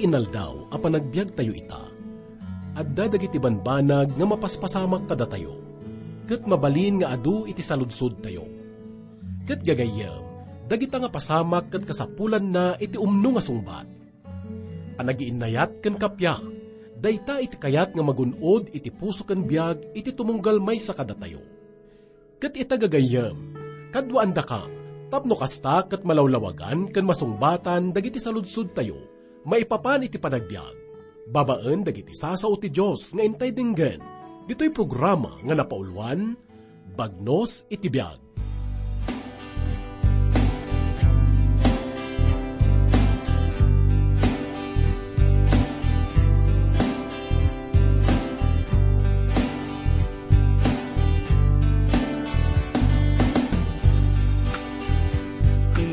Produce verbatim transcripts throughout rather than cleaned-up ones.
Inaldaw a panagbiagtayo ita, adda dagiti banbanag nga mapaspasamak kadatayo, ket mabalin nga adu iti saludsodtayo. Ket gagayyem, dagita nga pasamak ket kasapulanna iti umno nga sungbat. Panagiinnayat ken kappia, dayta iti kayat nga magun-od iti puso ken biag iti tumunggal maysa kadatayo. Ket ita gagayyem, kaduaandakam, tapno kasta ket malawlawagan ken masungbatan dagiti saludsodtayo maipapan iti panagbiag, babaen dagiti sasao ti Dios nga intay denggen, ditoy programa nga napauluan, Bagnos iti Biag.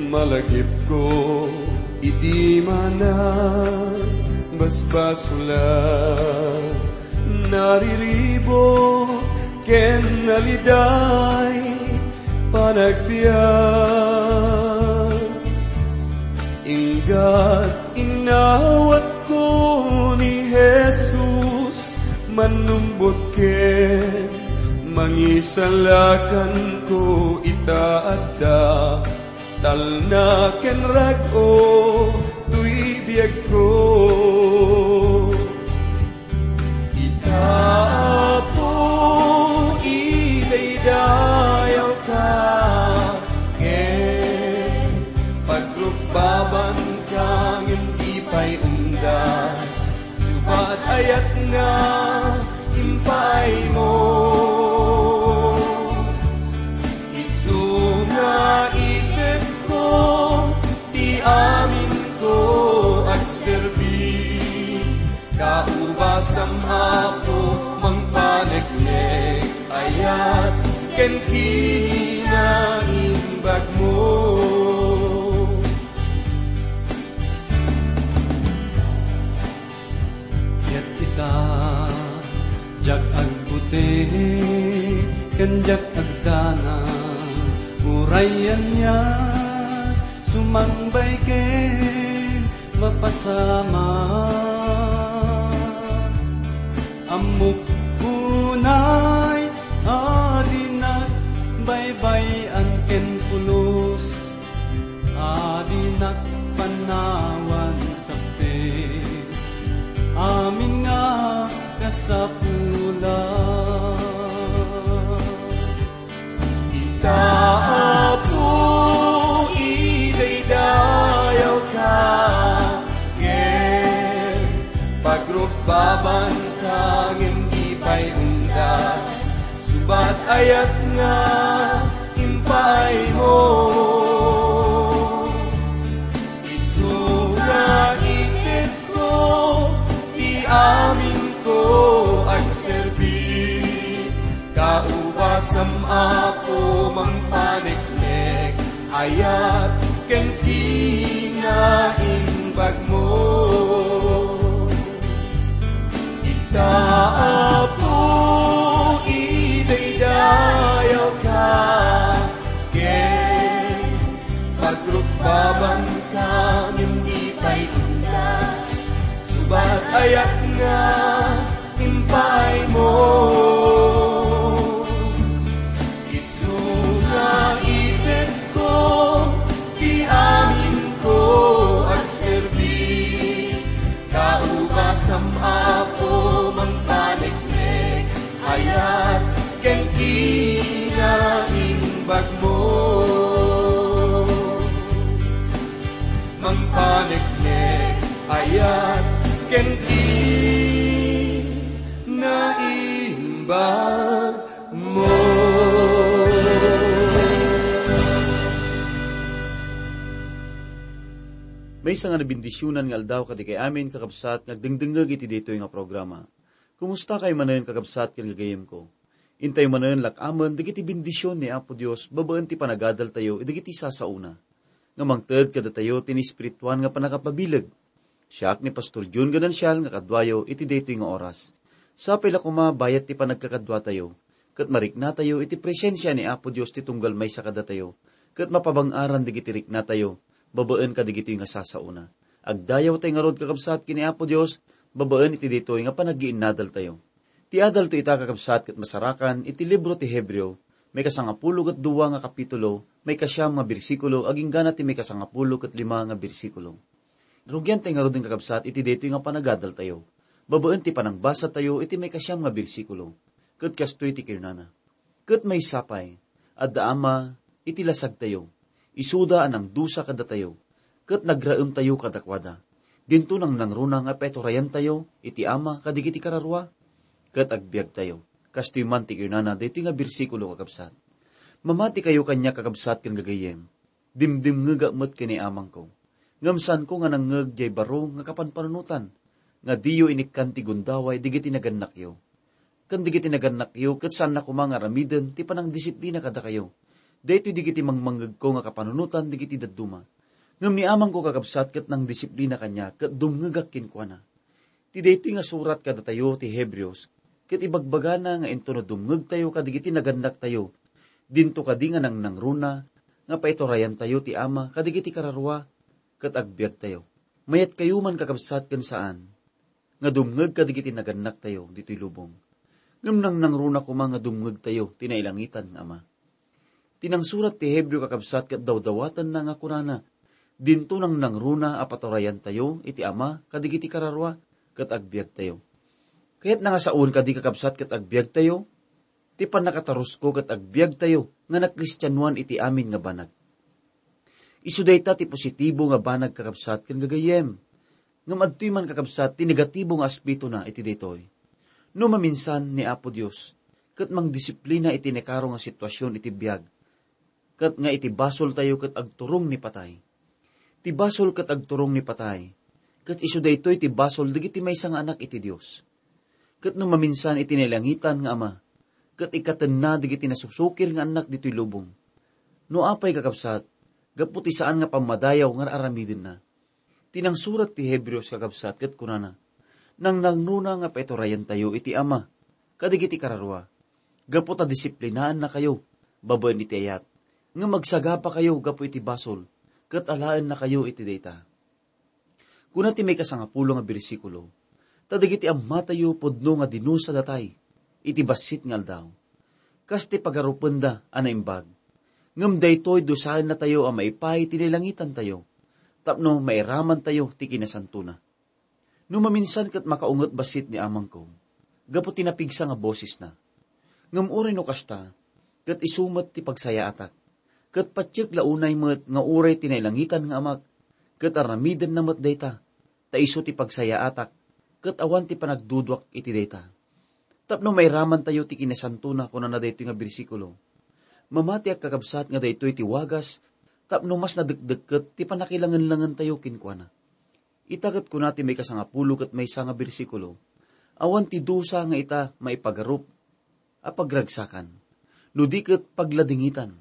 Malagipko iti manang basbasula, nariribo ken naliday panagbiag. Inggat inawatko ni Jesus, mannumbot ken mangisalakanko ita adda talna ken rag-o toy biagko. Ita, Apo, idaydayawka, ken pagrukbabanka ngem di pay undas, subat ayat nga impaaymo. Isu nga itetko ti aminko agserbi. Kaubasam, Apo, mangpaneknek, ayat ken kinaimbagmo. Ket ita, diak agbuti ken diak agdanag, uray ania, sumangbay ken mapasamak. Ammok unay a dinak baybay-an ken pulos, a dinak panawan sapte amin nga kasapula. Ita, Apo, idaydayawka, ken pagrukbabanka ngem di pay undas, subat ayat nga impaaymo. Isu nga itedko ti aminko agserbi. Kaubasam, Apo, mangpaneknek, ayat ken kinaimbagmo. Ita, Apo, idaydayawka, ken pagrukbabanka ngem di pay undas, subat ayat nga impaaymo. Isu nga itedko ti aminko agserbi. Kaubasam, Apo, mangpaneknek, ayat ken kinaimbagmo. Mangpaneknek, ayat ken kinaimbagmo. Maysa nga nabendisionan nga aldaw kadagiti amin, kakabsat, nga agdengdengngeg iti daytoy nga programa. Kumusta kayo manen, kakabsat ken gagayemko? Intayo manen lak-amen dagiti bendision ni Apo Dios babaen ti panagadaltayo idagiti sasaona nga mangted kadatayo ti naespirituan nga pannakapabileg. Siak ni Pastor Jun Ganancial nga kaduayo iti daytoy nga oras. Sapay la koma bayat ti panagkakaduatayo, ket mariknatayo iti presensia ni Apo Dios ti tunggal maysa kadatayo, ket mapabang-aran dagiti riknatayo babaen kadagitoy nga sasaona. Agdayawtayo ngarud, kakabsat, ken ni Apo Dios, babaen iti daytoy nga panaggiinnadaltayo. Ti adalto ita, kakabsat, ket masarakan iti libro ti Hebreo, maikasangapulo ket dua nga kapitulo, maikasiam nga bersikulo, agingga na ti maikasangapulo ket lima nga bersikulo. Rugiantayo ngaruden, kakabsat, iti daytoy nga panagadaltayo, babaen ti panangbasatayo iti maikasiam nga bersikulo. Ket kastoy ti kinunana, "Ket maysa pay, adda Ama iti lasagtayo, isuda a nangdusa kadatayo, ket nagraemtayo kadakuada. Dinto nangnangruna nga paiturayantayo iti Ama kadagiti kararua, ket agbiagtayo." Kastoy man ti kinunana daytoy nga bersikulo, kakabsat. Mamatikayo kaniak, kakabsat ken gagayyem. Dimdimngegak met ken ni Amangko. Ngem saanko nga nangngeg diay baro nga kapanpanunotan, nga diyo inikkan ti gundaway dagiti nagannakyo. Ken dagiti nagannakyo ket saanna koma nga aramiden ti panangdisiplina kadakayo. Daytoy dagiti mangmangngegko nga kapanunotan dagiti dadduma. Ngem ni Amangko, kakabsat, ket nangdisiplina kaniak ket dumngegak kenkuana. Ti daytoy nga surat kadatayo ti Hebreos, ket ibagbagana nga inton no dumngegtayo kadagiti nagannaktayo, dinto kadi nga nangnangruna nga paiturayantayo ti Ama kadagiti kararua ket agbiagtayo. Mayatkayo man, kakabsat, ken saan nga dumngeg kadagiti nagannaktayo ditoy lubong. Ngem nangnangruna koma nga dumngegtayo ti nailangitan nga Ama. Ti nangsurat ti Hebreo, kakabsat, ket dawdawatenna nga kunana, "Dinto nangnangruna a paturayantayo iti Ama kadagiti kararua ket agbiagtayo." Kayatna nga saoen kadi, kakabsat, ket agbiagtayo? Ti pannakatarusko ket agbiagtayo nga nakristianoan iti amin nga banag. Isu dayta ti positibo nga banag, kakabsat ken gagayyem. Ngem adtoy man, kakabsat, ti negatibo nga aspetona iti daytoy. No maminsan ni Apo Dios ket mangdisiplina iti naikaro nga situasion iti biag, ket nga iti basoltayo ket agturong ni patay. Ti basol ket agturong ni patay, ket isu daytoy ti basol dagiti maysa nga anak iti Dios. Ket no maminsan iti nailangitan nga Ama, ket ikkatenna dagiti nasusukir nga annak ditoy lubong. No apay, kakabsat, gapu ti saan nga pammadayaw nga ar-aramidenna. Ti nangsurat ti Hebreos, kakabsat, ket kunana, "Nangnangruna nga paiturayantayo iti Ama kadagiti kararua, gapu ta disiplinaannakayo babaen iti ayat, ngem agsagapakayo gapu iti basol, ket alaennakayo iti dayta." Kuna ti maikasangapulo nga bersikulo, "Ta dagiti ammatayo pudno nga dinusadatay iti bassit nga aldaw, kas ti pagarupenda a naimbag. Ngem daytoy dusaennatayo a maipaay ti nailangitantayo, tapno mairamantayo ti kinasantona." No maminsan ket makaunget bassit ni Amangko, gapu ti napigsa nga bosesna. Ngem uray no kasta, ket isu met ti pagsayaatak. Ket patiek la unay met nga uray ti nailangitan nga Amak, ket aramidenna met dayta, ta isu ti pagsayaatak, ket awan ti panagduduak iti dayta. Tapno mairamantayo ti kinasantona, kunana daytoy nga bersikulo. Mamatiak, kakabsat, nga daytoy ti wagas tapno mas nadekdekket ti pannakilangenlangentayo kenkuana. Ita ket kuna ti maikasangapulo ket maysa nga bersikulo, "Awan ti dusa nga ita maipagarup a pagragsakan, no di ket pagladingitan."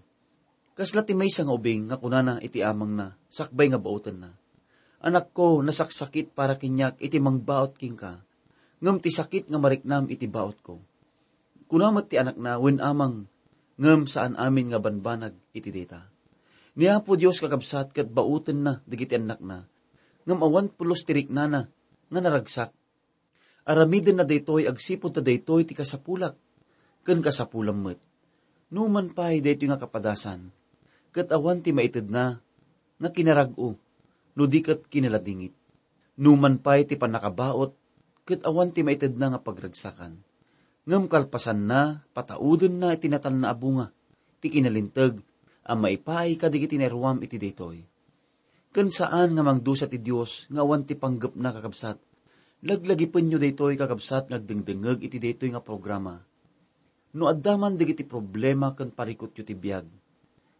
Kasla ti maysa nga ubing nga kunana iti amangna sakbay nga baotenna, "Anakko, nasaksakit para kaniak iti mangbaot kenka, ngem ti sakit nga mariknam iti baotko." Kuna met ti anakna, "Wen, amang, ngem saan amin nga banbanag iti dayta." Ni Apo Dios, kakabsat, ket baotenna dagiti annakna, ngem awan pulos ti riknana nga naragsak. Aramidenna daytoy agsipud ta daytoy ti kasapulak ken kasapulam met. Numan pay daytoy nga kapadasan, ket awan ti maitedna nga kinarag-o no di ket kinaladingit. Numan pay ti pannakabaot ket awan ti maitedna nga pagragsakan. Ngem kalpasanna, pataudenna iti natalna a bunga ti kinalinteg a maipaay kadagiti nairuam iti daytoy. Ken saan nga mangdusa ti Dios nga awan ti panggepna, kakabsat. Laglagipenyo daytoy, kakabsat, nga agdengdengngeg iti daytoy nga programa. No adda man dagiti problema ken parikutyo ti biag,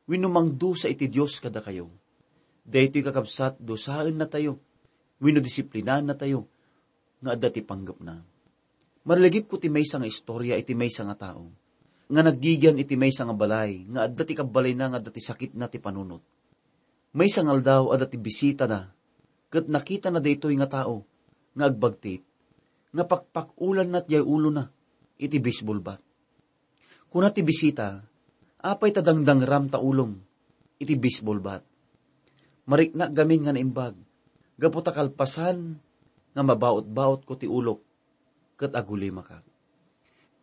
wenno mangdusa iti Dios kadakayo, daytoy, kakabsat, dusaennatayo wenno disiplinaennatayo nga adda ti panggepna. Marligipko ti maysa nga istorya iti maysa nga tao nga naggigian iti maysa nga balay nga adda ti kabbalayna nga adda ti sakitna ti panunot. Maysa nga aldaw, adda ti bisitada, ket nakitana daytoy nga tao nga agbagtit, nga pakpak-ulanna diay ulona iti baseball bat. Kuna ti bisita, "Apay ta dangdangram ta ulom iti baseball bat? Mariknak gamin nga naimbag. gapu ta kalpasan nga mabaot-baotko ti ulok ket agulimakak.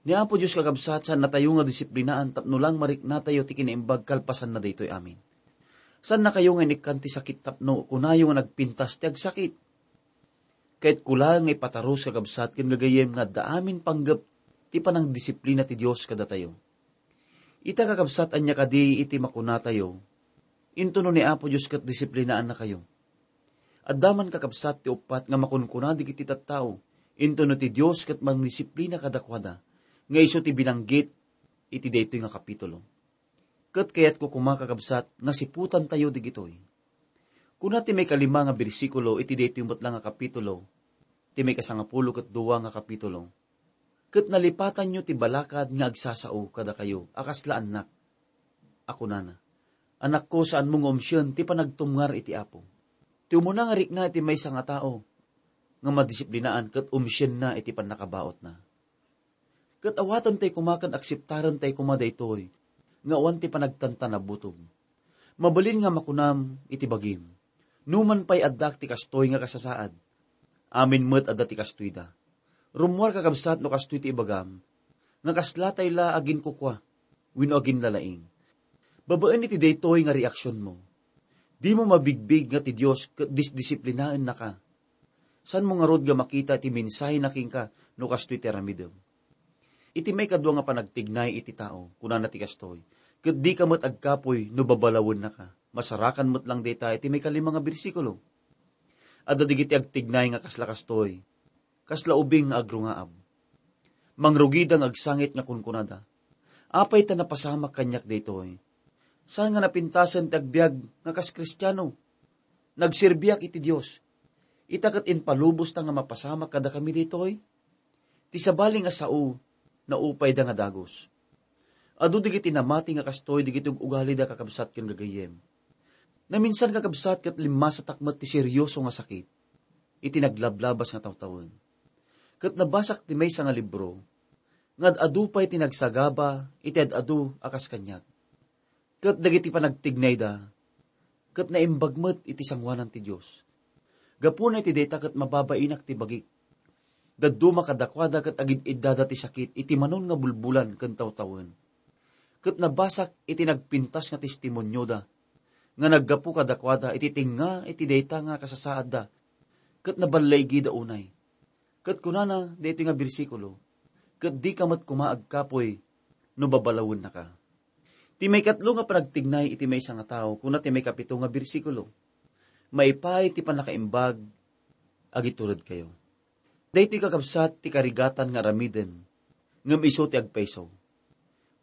Ni Apo Dios, kakabsat, saannatayo nga disiplinaan tapno lang mariknatayo ti kinaimbag kalpasanna daytoy amin. Saannakayo nga inikkan ti sakit tapno kunayo nga nagpintas ti agsakit. Kayatko laeng nga ipatarus, kakabsat ken gagayyem, nga adda amin panggep ti panangdisiplina ti Dios kadatayo. Ita, kakabsat, ania kadi iti makunatayo? Intono ni Apo Dios ket disiplinaannakayo. Adda man, kakabsat, ti uppat nga makunkuna dagiti tattao, intono ti Dios ket mangdisiplina kadakuada, nga isu ti binanggit iti daytoy nga kapitulo. Ket kayatko koma, kakabsat, nga siputantayo digitoy. Kuna ti maikalima nga bersikulo iti daytoy met la nga kapitulo, ti maikasangapulo ket dua nga kapitulo, "Ket nalipatanyo ti balakad nga agsasao kadakayo a kasla annak," a kunana, "Anakko, saanmo nga umsien ti panagtumngar iti Apo. Ti umuna nga rikna iti maysa nga tao nga madisiplinaan ket umsienna iti pannakabaotna." Ket awaten tay koma ken akseptaren tay koma daytoy nga awan ti panagtantanabutom. Mabalin nga makunam iti bagim, "Numan pay addak ti kastoy nga kasasaad, amin met adda ti kastoyda." Rummuar, kakabsat, no kastoy ti ibagam, nga kasla tay la aginkukua wenno aginlalaing. Babaen iti daytoy nga reaksionmo, dimo mabigbig nga ti Dios ket disdisiplinaennaka. Saanmo ngarud nga makita ti mensahena kenka no kastoy ti aramidem? Iti maikadua nga panagtignay iti tao, kunana ti kastoy, "Ket dika met agkapuy no babalawennaka." Masarakan met lang dayta iti maikalima nga bersikulo. Adda dagiti agtignay nga kasla kastoy, kasla ubing nga agrungaab. Mangrugida nga agsangit nga kunkunada, "Apay ta napasamak kaniak daytoy? Saan nga napintasen ti agbiag nga kas Kristiano? Nagserbiak iti Dios. Ita ket impalubosta nga mapasamak kadakami daytoy." Ti sabali nga sao, naupayda nga dagus. Adu dagiti namati nga kastoy dagiti ug-ugalida, kakabsat ken gagayyem. Naminsan, kakabsat, ket limmasatak met ti serioso nga sakit iti naglablabas nga tawtawen. Ket nabasak ti maysa nga libro nga ad-adu pay ti nagsagaba iti ad-adu a kas kaniak. Ket dagiti panagtignayda ket naimbag met iti sangoanan ti Dios. Gapuna iti dayta ket mababainak ti bagik. Dadduma kadakuada ket agid-iddada ti sakit iti manon nga bulbulan ken tawtawen. Ket nabasak iti nagpintas nga testimonioda nga naggapu kadakuada iti tengnga iti dayta nga kasasaadda, ket naballaigida unay. Ket kunana daytoy nga bersikulo, "Ket dika met koma agkapuy no babalawennaka." Ti maikatlo nga panagtignay iti maysa nga tao, kuna ti maikapito nga bersikulo, "Maipaay ti pannakaimbag, agituredkayo." Daytoy, kakabsat, ti karigatan nga aramiden, ngem isu ti agpayso.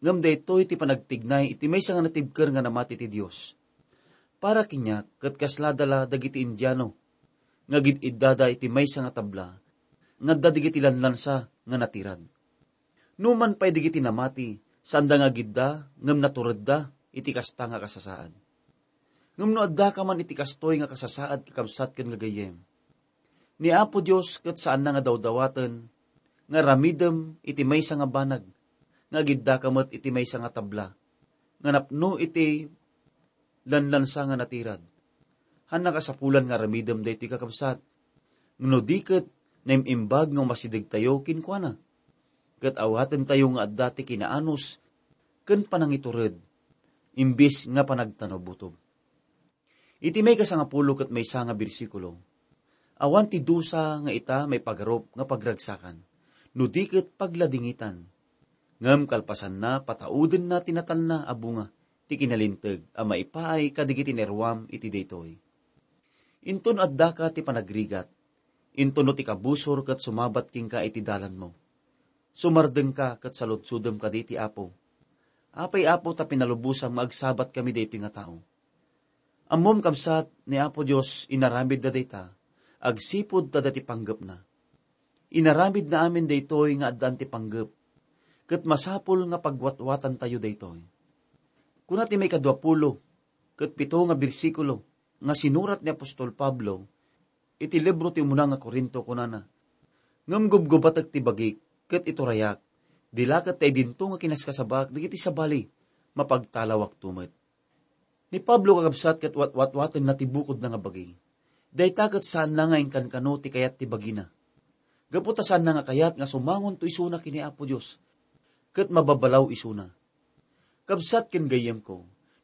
Ngem daytoy ti panagtignay iti maysa nga natibker nga namati ti Dios. Para kaniak, ket kasla dala dagiti Indiano nga agid-iddada iti maysa nga tabla nga adda dagiti lanlansa nga natirad. Numan pay dagiti namati, saanda nga agidda ngem naturedda iti kasta nga kasasaad. Ngem no addaka man iti kastoy nga kasasaad, kakabsat ken gagayyem, ni Apo Dios ket saanna nga dawdawaten nga aramidem iti maysa nga banag nga agiddaka met iti maysa nga tabla nga napno iti lanlansa nga natirad. Haan nakasapulan nga aramidem daytoy, kakabsat, no di ket naim-imbag nga umasidegtayo kenkuana, ket awatentayo nga adda ti kinaanus ken panangitured, imbes nga panagtanabutob. Iti maikasangapulo ket maysa nga bersikulo, awan ti dusa nga ita maipagarup nga pagragsakan, no di ket pagladingitan. Ngem kalpasanna, pataudenna ti natalna a bunga ti kinalinteg a maipaay kadagiti naruam iti daytoy. Inton addaka ti panagrigat, inton no ti kabusor ket sumabat kenka iti dalanmo, sumardengka ket saludsodem kadi iti Apo, "Apay, Apo, ta pinalubosam nga agsabatkami daytoy nga tao?" Ammom, kabsat, ni Apo Dios inaramidda dayta agsipud ta adda ti panggepna. Inaramidna amin daytoy nga addaan ti panggep, ket masapul nga pagwatwatantayo daytoy. Kuna ti maikadua pulo ket pito nga bersikulo nga sinurat ni apostol Pablo iti libro ti umuna nga Corinto, kunana, "Ngem gubgubatek ti bagik ket iturayak, di la ket ta idinto nga kinaskasabaak dagiti sabali, mapagtalawakto met." Ni Pablo, kakabsat, ket watwatwatenna ti bukodna nga bagi. Dayta ket saanna nga inkankano ti kayat ti bagina. Gapu ta saanna nga kayat nga sumangonto isuna ken ni Apo Dios, ket mababalaw isuna. Kabsat ken gayyemko,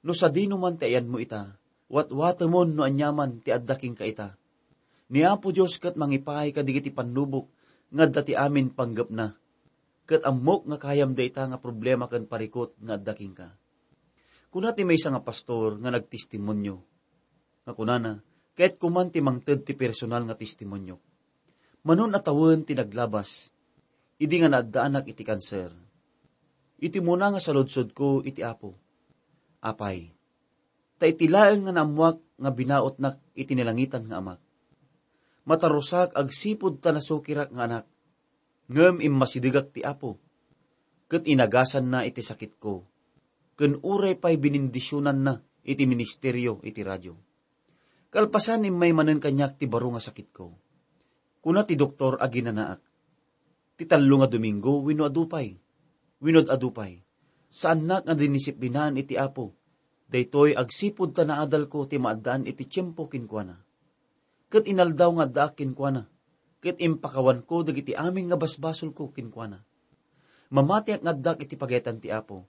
no sadino man ti ayanmo ita, watwatemon no aniaman ti adda kenka ita. Ni Apo Dios ket mangipaay kadagiti pannubok nga adda ti amin panggepna. Ket ammok nga kayam dayta nga problema ken parikut nga adda kenka. Kuna ti maysa nga pastor nga nagtestimonio, nga kunana, "Kayatko man ti mangted ti personal nga testimonio. Manon a tawen ti naglabas, idi nga naaddaanak iti kanser. Iti umuna nga saludsodko iti Apo, 'Apay, ta iti laeng nga naammoak nga binautnak iti nalangitan nga Amak. Matarusak agsipud ta nasukirak nga anak, ngem immasidegak ti Apo, ket inagasanna iti sakitko, ken uray pay binindisionanna iti ministerio iti radio. Kalpasan, immay manen kaniak ti baro nga sakitko. Kuna ti doktor a ginanaak, ti tallo nga Domingo wenno adu pay, wenno adu pay, saannak nga dinisiplinaan iti Apo. Daytoy agsipud ta naadalko ti maaddaan iti tiempo kenkuana. Ket inaldaw nga addaak kenkuana, ket impakawanko dagiti amin nga basbasolko kenkuana. Mamatiak nga addak iti pagayatan ti Apo,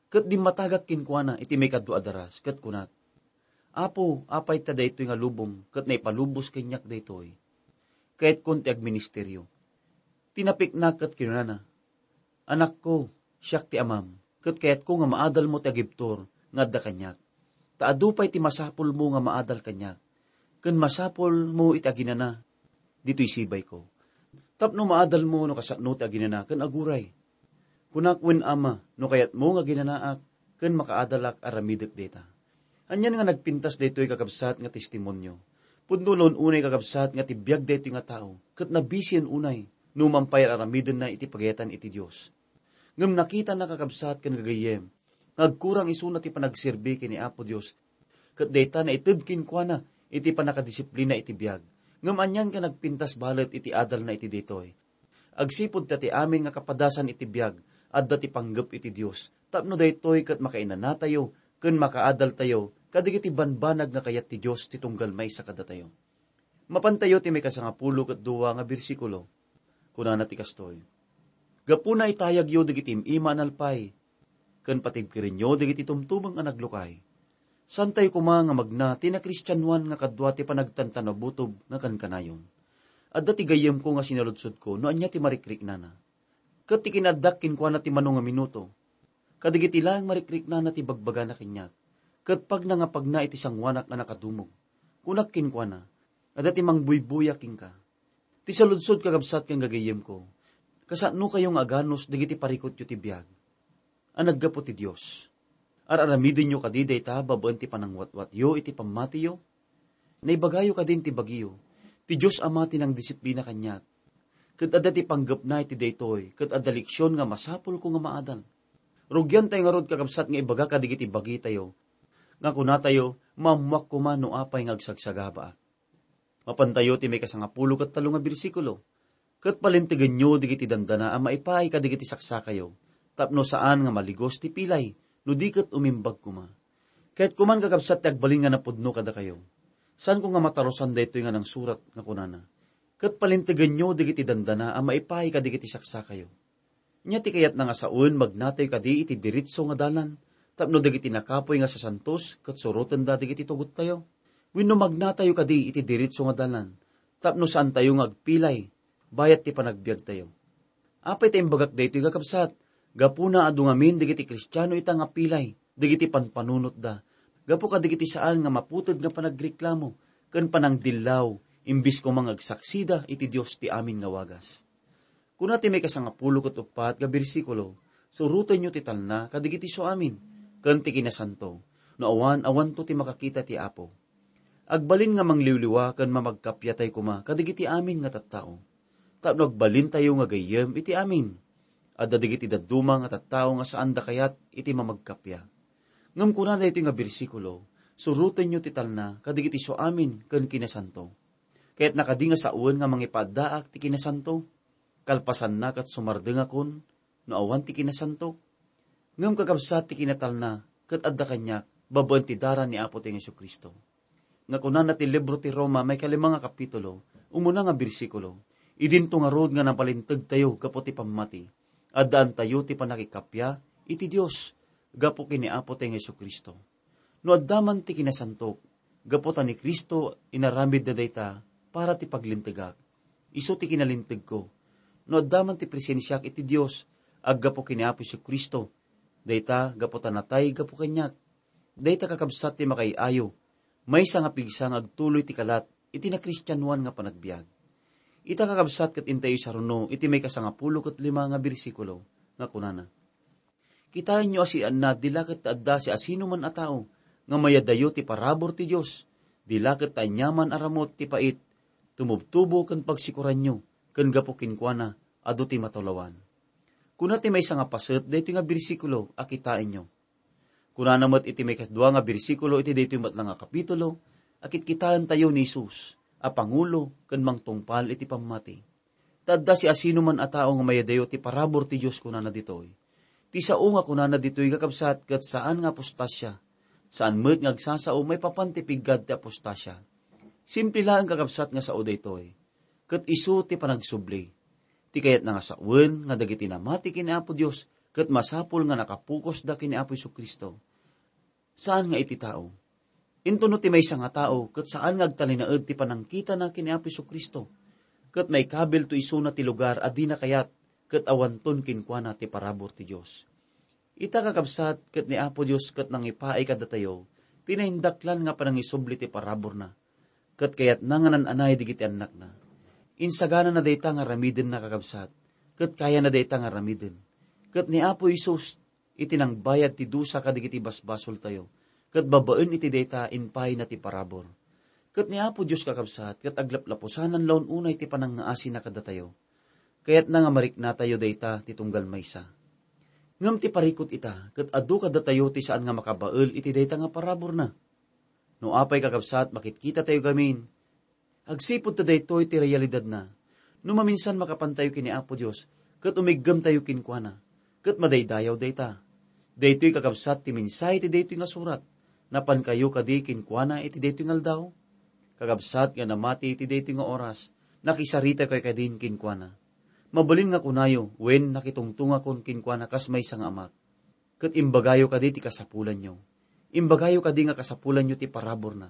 ket dimmatagak kenkuana iti maikadua a daras, ket kunak, 'Apo, apay ta daytoy nga lubong ket naipalubos kaniak daytoy? Kayatkon ti agministerio.' Tinapiknak ket kinunana, 'Anakko, siak ti amam, ket kayatko nga maadalmo ti agibtur nga adda kaniak. Ta adu pay ti masapulmo nga maadal kaniak, ken masapulmo iti aginana ditoy sibayko. Tapno maadalmo no kasano ti aginana ken aguray.' Kunak, 'Wen, Ama, no kayatmo nga aginanaak ken makaadalak, aramidek dayta.'" Anian nga nagpintas daytoy, kakabsat, nga testimonio? Pudno la unay, kakabsat, nga ti biag daytoy nga tao, ket nabisien unay, no man pay ar-aramidenna iti pagayatan iti Dios. Ngem nakitana, kakabsat ken gagayyem, nga agkurang isuna ti panagserbi ken ni Apo Dios, ket dayta naited kenkuana iti pannakadisiplina iti biag. Ngem anian nga nagpintas balet iti adalna iti daytoy? Agsipud ta ti amin nga kapadasan iti biag, adda ti panggep iti Dios, tapno daytoy ket makainanatayo ken makaadaltayo kadagiti banbanag nga kayat ti Dios ti tunggal maysa kadatayo. Mapantayo ti maikasangapulo ket dua nga bersikulo. Kunana ti kastoy, "Gapuna itayagyo dagiti im-ima a nalpay, ken patibkerenyo dagiti tumtumeng a naglukay." Saantayo koma nga magna ti nakristianoan nga kadua ti panagtantanabutob nga kankanayon. Adda ti gayyemko nga sinaludsodko no ania ti marikriknana. Ket ti kinaaddak kenkuana ti mano nga minuto, kadagiti laeng marikriknana ti bagbagana kaniak, ket pagna nga pagna iti sangoanak a nakadumog. Kunak kenkuana, "Adda ti mangbuybuya kenka." Ti saludsod, kakabsat ken gagayyemko, kasanokayo nga aganus dagiti parikutyo ti biag a naggapu ti Dios? Ar-aramidenyo kadi dayta babaen ti panangwatwatyo iti pammatiyo? Naibagayo kadin ti bagiyo, "Ti Dios Ama ti nangdisiplina kaniak, ket adda ti panggepna iti daytoy, ket adda leksion nga masapulko nga maadal." Rugiantayo ngarud, kakabsat, nga ibaga kadagiti bagitayo nga kunatayo, "Maammoak koma no apay nga agsagsagabaak." Mapantayo ti maikasangapulo ket tallo nga bersikulo, "Ket palintegenyo dagiti dandana a maipaay kadagiti saksakayo, tapno saan nga maligos ti pilay no di ket umimbag koma." Kayatko man, kakabsat, ti agbalin nga napudno kadakayo. Saanko nga matarusan daytoy nga nangsurat nga kunana, "Ket palintegenyo dagiti dandana a maipaay kadagiti saksakayo." Ania ti kayatna nga sawen, magnatayo kadi iti diritso nga dalan tapno dagiti nakapuy nga sasantos ket surotenda dagiti tugottayo? Wenno magnatayo kadi iti diritso nga dalan tapno saantayo nga agpilay bayat ti panagbiagtayo? Apay ta imbagak daytoy, kakabsat? Gapuna adu ngamin dagiti Kristiano ita nga pilay dagiti panpanunotda gapu kadagiti saan nga maputed nga panagreklamo ken panangdillaw, imbes koma nga agsaksida iti Dios ti amin nga wagas. Kuna ti maikasangapulo ket uppat nga bersikulo, "Surotenyo ti talna kadagiti suamin ken ti kinasanto, no awan, awanto ti makakita ti Apo." Agbalin nga mangliwliwa ken mamagkappiatay koma kadagiti amin nga tattao, tapno agbalintayo nga gayyem iti amin. Adda dagiti dadduma nga tattao nga saanda kayat iti mamagkappia. Ngem kuna daytoy nga bersikulo, "Surotenyo ti talna kadagiti suamin ken kinasanto." Kayatna kadi nga sawen nga mangipaaddaak ti kinasanto? Kalpasanna ket sumardengakon no awan ti kinasanto? Ngem kakabsat, ti kinatalna ket adda kaniak babaen ti dara ni Apotayo Jesu-Cristo. nga kunana ti libro ti Roma, maikalima nga kapitulo, umuna nga bersikulo, idinto ngarud nga nabalintegtayo gapu ti pammati. Addaantayo ti pannakikappia iti Dios gapu ken ni Apo tayo nga Jesu-Cristo. No adda man ti kinasantok, gapu ta ni Cristo inaramidna dayta para ti paglintegak. Isu ti kinalintegko. No adda man ti presensiak iti Dios, aggapu ken ni Apo Jesu-Cristo, dayta gapu ta natay gapu kaniak. Dayta kakabsat ti makaay-ayo, maysa nga pigsa nga agtuloy ti kalat iti nakristianoan nga panagbiag. Ita kakabsat ket intayo saruno iti maikasangapulo ket lima nga bersikulo nga kunana, "Kitaenyo a sianna, di la ket ta adda siasinoman a tao nga mayadayo ti parabur ti Dios, di la ket ta aniaman a ramut ti pait, tumubtubo ken pagsikoranyo, ken gapu kenkuana, adu ti matulawan." Kuna ti maysa nga paset daytoy nga bersikulo a kitaenyo. Kunana met iti maikadua nga bersikulo iti daytoy met la nga kapitulo, a kitkitaentayo ni Jesus a pangulo ken mangtungpal iti pammati. Ta adda siasinoman a tao nga mayadayo ti parabur ti Dios, kunana ditoy. Ti sao nga kunana ditoy, kakabsat, ket saan nga apostasia. Saan met nga agsasao maipapan ti piggad ti apostasia. Simple laeng, kakabsat, nga sao daytoy. Ket isu ti panagsubli. Ti kayatna nga sawen nga dagiti namati ken ni Apo Dios ket masapul nga nakapokusda ken ni Apo Jesu-Cristo. Saan nga iti tao. Intono ti maysa nga tao ket saan nga agtalinaed ti panangkitana ken ni Apo Jesu-Cristo, ket maikabilto isuna ti lugar a dina kayat ket awanton kenkuana ti parabur ti Dios. Ita, kakabsat, ket ni Apo Dios ket nangipaay kadatayo ti naindaklan nga panangisubli ti paraburna, ket kayatna nga nan-anay dagiti annakna. Insaganana dayta nga aramidenna, kakabsat, ket kayana dayta nga aramiden. Ket ni Apo Jesus iti nangbayad ti dusa kadagiti basbasoltayo, ket babaen iti dayta, impayna ti parabur. Ket ni Apo Dios, kakabsat, ket aglaplapusanan laeng unay ti panangngaasina kadatayo. Kayatna nga mariknatayo dayta ti tunggal maysa. Ngem ti parikut ita, ket adu kadatayo ti saan nga makabael iti dayta nga paraburna. No apay, kakabsat, makitkitatayo gamin, agsipud ta daytoy ti realidadna. No maminsan makapantayo ken ni Apo Dios, ket umiggemtayo kenkuana, ket madaydayaw dayta. Daytoy, kakabsat, ti mensahe ti daytoy nga surat. Napankayo kadi kenkuana iti daytoy nga aldaw? Kakabsat nga namati iti daytoy nga oras, nakisaritakayo kadin kenkuana? Mabalin nga kunayo, wen, nakitungtungakon kenkuana kas maysa nga amak. Ket imbagayo kadi ti kasapulanyo. Imbagayo kadi nga kasapulanyo ti paraburna.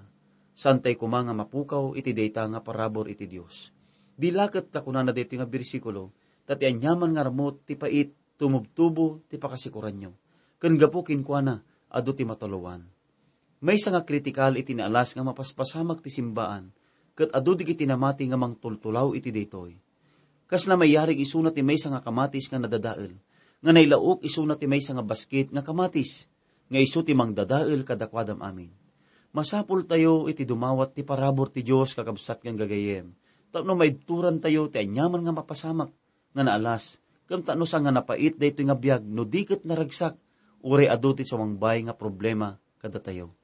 Saantay koma nga mapukaw iti dayta nga parabur iti Dios. Di la ket ta kunana daytoy nga bersikulo, ta ti aniaman nga ramut ti pait, tumubtubo ti pakasikoranyo. Ken gapu kenkuana, adu ti matulawan. Maysa nga kritikal iti naalas nga mapaspasamak ti simbaan, ket adu dagiti namati nga mangtultulaw iti daytoy. Kasla mayarig isuna ti maysa nga kamatis nga nadadael, nga nailaok isuna ti maysa nga basket nga kamatis, nga isu ti mangdadael kadakuada amin. Masapultayo iti dumawat ti parabur ti Dios, kakabsat ken gagayyem, tapno maibturantayo ti aniaman nga mapasamak nga naalas, ken ta no saan nga napait daytoy nga biag no di ket naragsak, uray adu ti sumangbay nga problema kadatayo.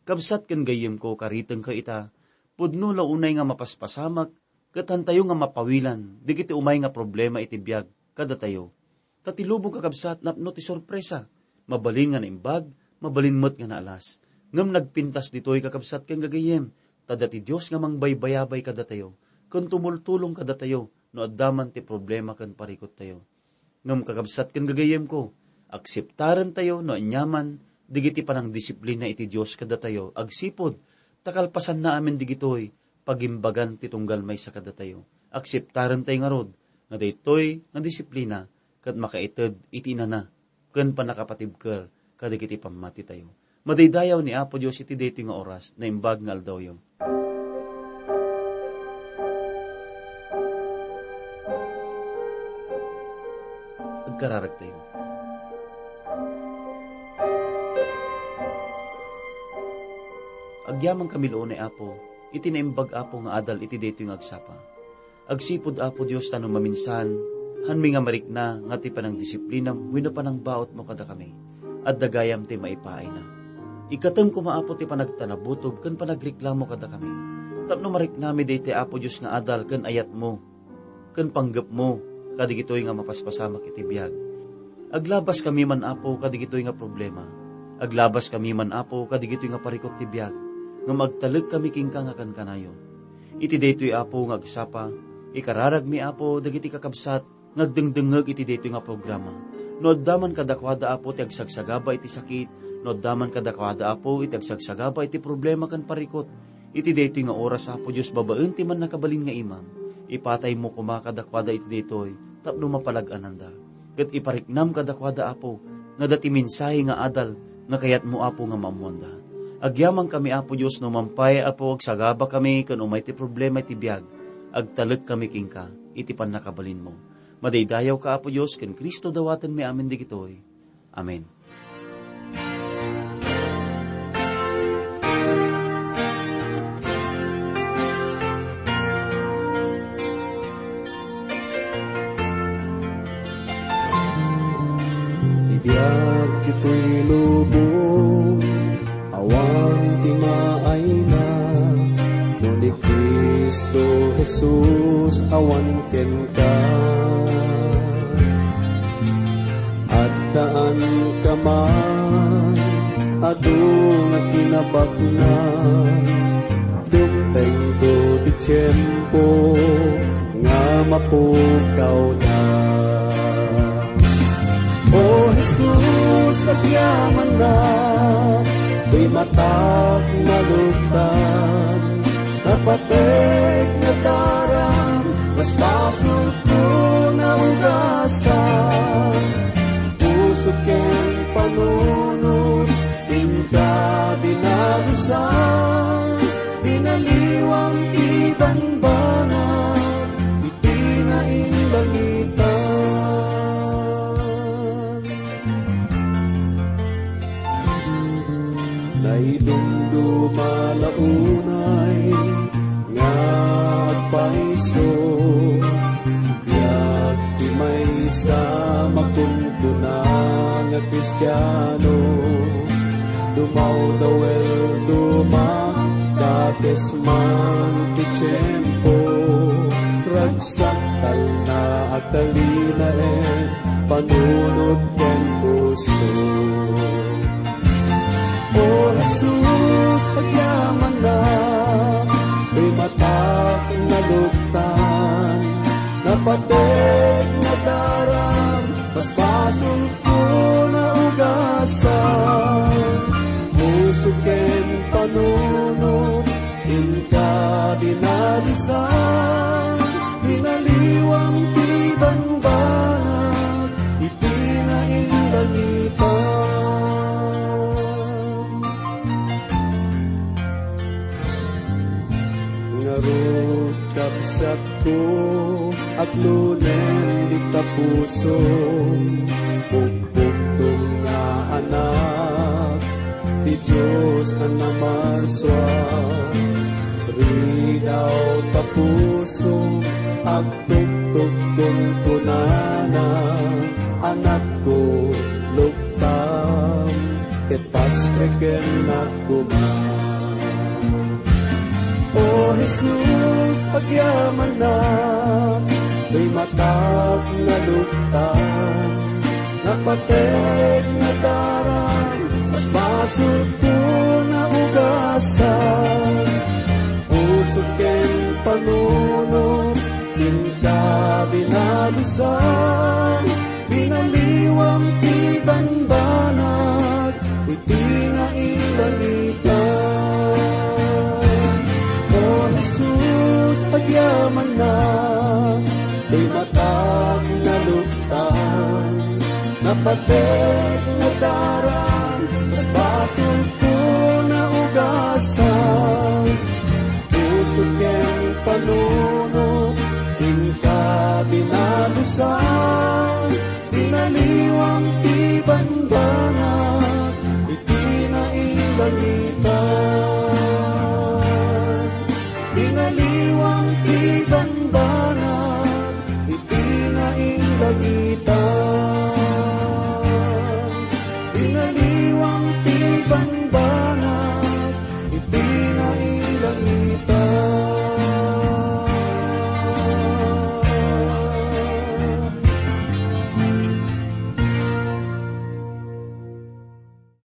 Kabsat ken gayyemko, karitengko ita, pudno la unay nga mapaspasamak, ket hantayo nga mapawilan dagiti umay nga problema iti biag kadatayo. Ta ti lubong, kakabsat, napno ti sorpresa, mabalin nga naimbag, mabalin met nga naalas. Ngem nagpintas ditoy, kakabsat ken gagayyem, ta adda ti Dios nga mangbaybayabay kadatayo, ken tumultulong kadatayo no adda man ti problema ken parikuttayo. Ngem, kakabsat ken gagayyemko, akseptarentayo no aniaman dagiti panangdisiplina iti Dios kadatayo agsipud ta kalpasanna amin dagitoy pagimbagan ti tunggal maysa kadatayo. Akseptarentayo ngarud nga daytoy nga disiplina ket makaited iti inana ken pannakapatibker kadagiti pammatitayo. Madaydayaw ni Apo Dios iti daytoy nga oras, naimbag nga aldawyo. Agkararagtayo. Agyamankami laeng, Apo, iti naimbag, Apo, nga adal iti daytoy nga agsapa. Agsipud, Apo Dios, ta no maminsan, hanmi nga marikna nga ti panangdisiplinam wenno panangbautmo kadakami, adda gayam ti maipaayna. Ikkatem koma, Apo, ti panagtanabutob ken panagreklamo kadakami, tapno mariknami daytoy, Apo Dios, nga adal ken ayatmo ken panggepmo kadigitoy nga mapaspasamak iti biag. Aglabaskami man, Apo, kadigitoy nga problema. Aglabaskami man, Apo, kadigitoy nga parikut ti biag. ngem agtalekami kenka nga kankanayon. Iti daytoy, Apo, nga agsapa, ikararagmi, Apo, dagiti kakabsat nga agdengdengngeg iti daytoy nga programa. No adda man kadakuada, Apo, ti agsagsagaba iti sakit, no adda man kadakuada, Apo, iti agsagsagaba iti problema ken parikut, iti daytoy nga oras, Apo Dios, babaen ti mannakabalin nga imam, ipataymo koma kadakuada iti daytoy tapno mapalag-ananda. Ket ipariknam kadakuada, Apo, nga adda ti mensahe nga adal nga kayatmo, Apo, nga maammoanda. Agyamankami, Apo Dios, no man pay, Apo, agsagabakami ken umay ti problema iti biag, agtalekkami kenka iti pannakabalinmo. Madaydayawka, Apo Dios, ken Cristo dawatenmi amin dagitoy. Amen. Ti biag ditoy lubong, awan ti maayna, no ni Cristo Jesus awan kenka. Addaanka man, adu nga kinabaknang, dumtengto ti tiempo nga mapukawda. O Jesus, agyamanak, toy matak maluktan, napatek nga daram, mas basolko nga ugasan. Puso ken panunot, inka dinalusan, binaliwam ti banbanag, iti nainlangitan. Naidumduma la unay nga agpaiso, biag ti maysa makunkuna nga Kristiano. Dumawdaw el dumakdates man ti tiempo, ragsak talna agtalinaen panunot ken puso. O Jesus, agyamanak, toy matak maluktan, napatek nga daram, mas basolko nga ugasan. Puso ken panunot, inka dinalusan, binaliwam ti banbanag, iti nainlangitan. Ngarud, kabsatko, aglunen dita puso, pukpuktom nga anak ti Dios a namarsua. Ridaw ta puso, agtugtugkon kunana, anakko, luktam, ket pastreken koma. O Jesus, agyamanak, toy matak nga luktan, napatek nga daram, mas basolko nga ugasan. Puso ken panunot, inka dinalusan, binaliwam ti banbanag, iti nainlangitan. O Jesus, agyamanak, toy matak nga luktan, napatek nga daram, mas basolko nga ugasan. Puso ken panunot, inka dinalusan, binaliwam ti banbanag, iti nainlangitan. Binaliwam ti banbanag, iti nainlangitan. Binaliwam ti banbanag,